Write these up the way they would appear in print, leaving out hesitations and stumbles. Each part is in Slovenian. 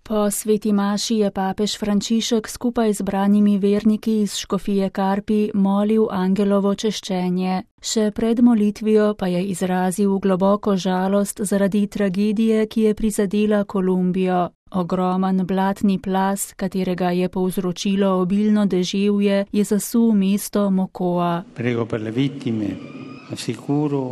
Po sveti maši je papež Frančišek skupaj z branimi verniki iz škofije Karpi molil angelovo češčenje. Še pred molitvijo pa je izrazil globoko žalost zaradi tragedije, ki je prizadela Kolumbijo. Ogromen blatni plaz, katerega je povzročilo obilno deževje, je zasul mesto Mocoa. Prego per le vittime, assicuro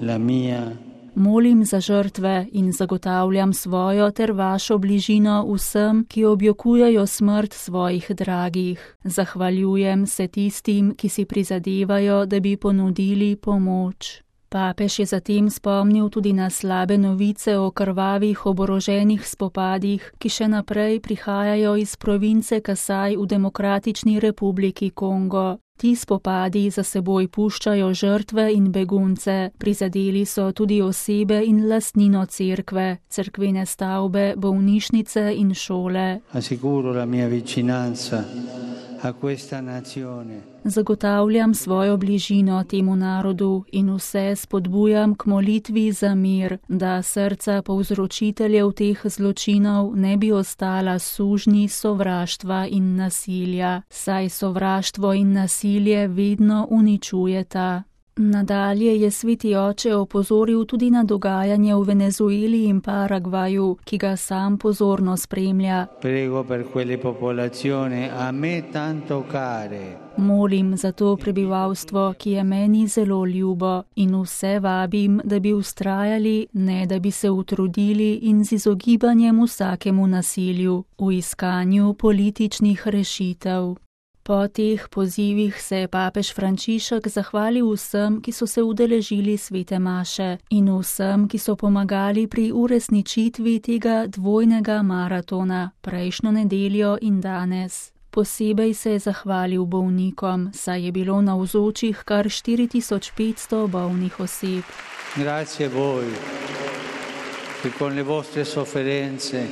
la mia. Molim za žrtve in zagotavljam svojo ter vašo bližino vsem, ki objokujejo smrt svojih dragih. Zahvaljujem se tistim, ki si prizadevajo, da bi ponudili pomoč. Papež je zatem spomnil tudi na slabe novice o krvavih oboroženih spopadih, ki še naprej prihajajo iz province Kasaj v Demokratični republiki Kongo. Ti spopadi za seboj puščajo žrtve in begunce, prizadeli so tudi osebe in lastnino cerkve, cerkvene stavbe, bolnišnice in šole. Assicuro la mia vicinanza a questa nazione. Zagotavljam svojo bližino temu narodu in vse spodbujam k molitvi za mir, da srca povzročiteljev teh zločinov ne bi ostala sužnji sovraštva in nasilja, saj sovraštvo in nasilje vedno uničujeta. Nadalje je sveti oče opozoril tudi na dogajanje v Venezueli in Paragvaju, ki ga sam pozorno spremlja. Prego per quelle popolazioni a me tanto care. Molim za to prebivalstvo, ki je meni zelo ljubo, in vse vabim, da bi vztrajali, ne da bi se utrudili in z izogibanjem vsakemu nasilju, v iskanju političnih rešitev. Po teh pozivih se je papež Frančišek zahvalil vsem, ki so se udeležili svete maše in vsem, ki so pomagali pri uresničitvi tega dvojnega maratona prejšnjo nedeljo in danes. Posebej se je zahvalil bolnikom, saj je bilo navzočih kar 4500 bolnih oseb. Grazie voi, che con le vostre sofferenze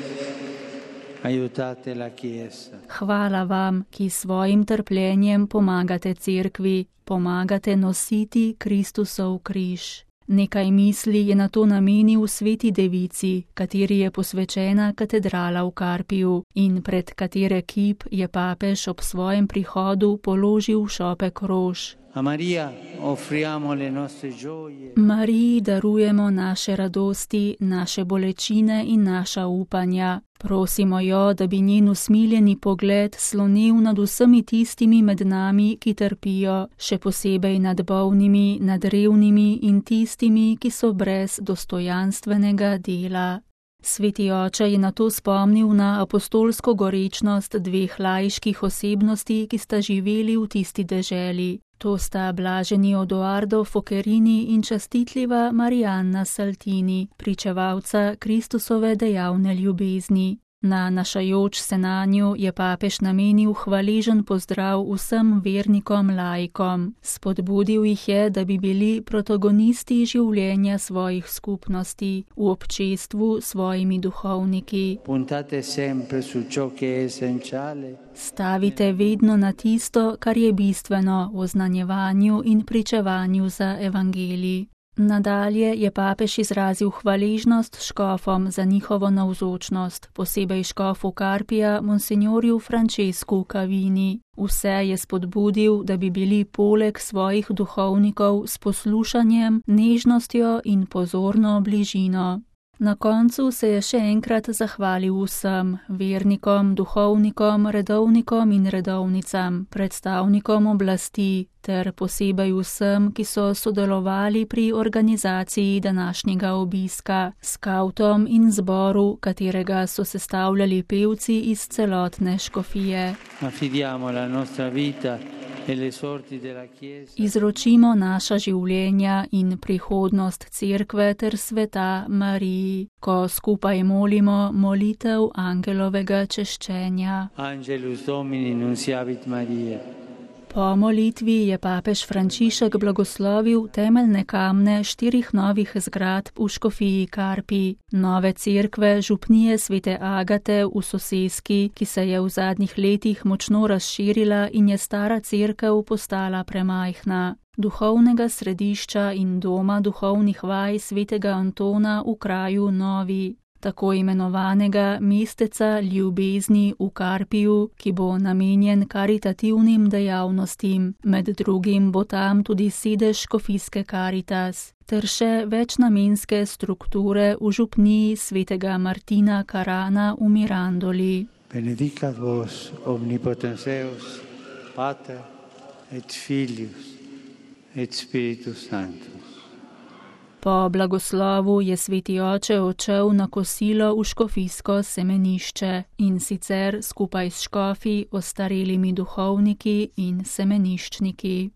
aiutate la Chiesa. Hvala vam, ki svojim trpljenjem pomagate cerkvi, pomagate nositi Kristusov križ. Nekaj misli je na to namenil sveti devici, kateri je posvečena katedrala v Karpiju in pred katere kip je papež ob svojem prihodu položil šopek rož. A Maria offriamo le nostre gioie. Mariji darujemo naše radosti, naše bolečine in naša upanja. Prosimo jo, da bi njen usmiljeni pogled slonil nad vsemi tistimi med nami, ki trpijo, še posebej nad bolnimi, nad revnimi in tistimi, ki so brez dostojanstvenega dela. Sveti oče je nato spomnil na apostolsko gorečnost dveh laiških osebnosti, ki sta živeli v tisti deželi. To sta blaženi Odoardo Focherini in častitljiva Marianna Saltini, pričevalca Kristusove dejavne ljubezni. Nanašajoč se nanju je papež namenil hvaležen pozdrav vsem vernikom laikom. Spodbudil jih je, da bi bili protagonisti življenja svojih skupnosti, v občestvu s svojimi duhovniki. Puntate sempre su ciò che è essenziale. Stavite vedno na tisto, kar je bistveno v oznanjevanju in pričevanju za evangelij. Nadalje je papež izrazil hvaležnost škofom za njihovo navzočnost, posebej škofu Karpija, monsignorju Francesku Cavini. Vse je spodbudil, da bi bili poleg svojih duhovnikov s poslušanjem, nežnostjo in pozorno bližino. Na koncu se je še enkrat zahvalil vsem, vernikom, duhovnikom, redovnikom in redovnicam, predstavnikom oblasti, ter posebej vsem, ki so sodelovali pri organizaciji današnjega obiska, skavtom in zboru, katerega so sestavljali pevci iz celotne škofije. Affidiamo la nostra vita. Izročimo naša življenja in prihodnost cerkve ter sveta Mariji, ko skupaj molimo molitev angelovega češčenja. Angelus Domini nunciavit Maria. Po molitvi je papež Frančišek blagoslovil temeljne kamne 4 novih zgradb v škofiji Karpi, nove cerkve župnije svete Agate v Soseski, ki se je v zadnjih letih močno razširila in je stara cerkev postala premajhna, duhovnega središča in doma duhovnih vaj svetega Antona v kraju Novi. tako imenovanega mesteca ljubezni v Karpiju, ki bo namenjen karitativnim dejavnostim. Med drugim bo tam tudi sedež škofijske Karitas ter še večnamenske strukture v župniji svetega Martina Karana v Mirandoli. Benedicat vos omnipotens Deus, Pater et Filius et Spiritus Sanctus. Po blagoslovu je sveti oče odšel na kosilo v škofijsko semenišče, in sicer skupaj s škofi, ostarelimi duhovniki in semeniščniki.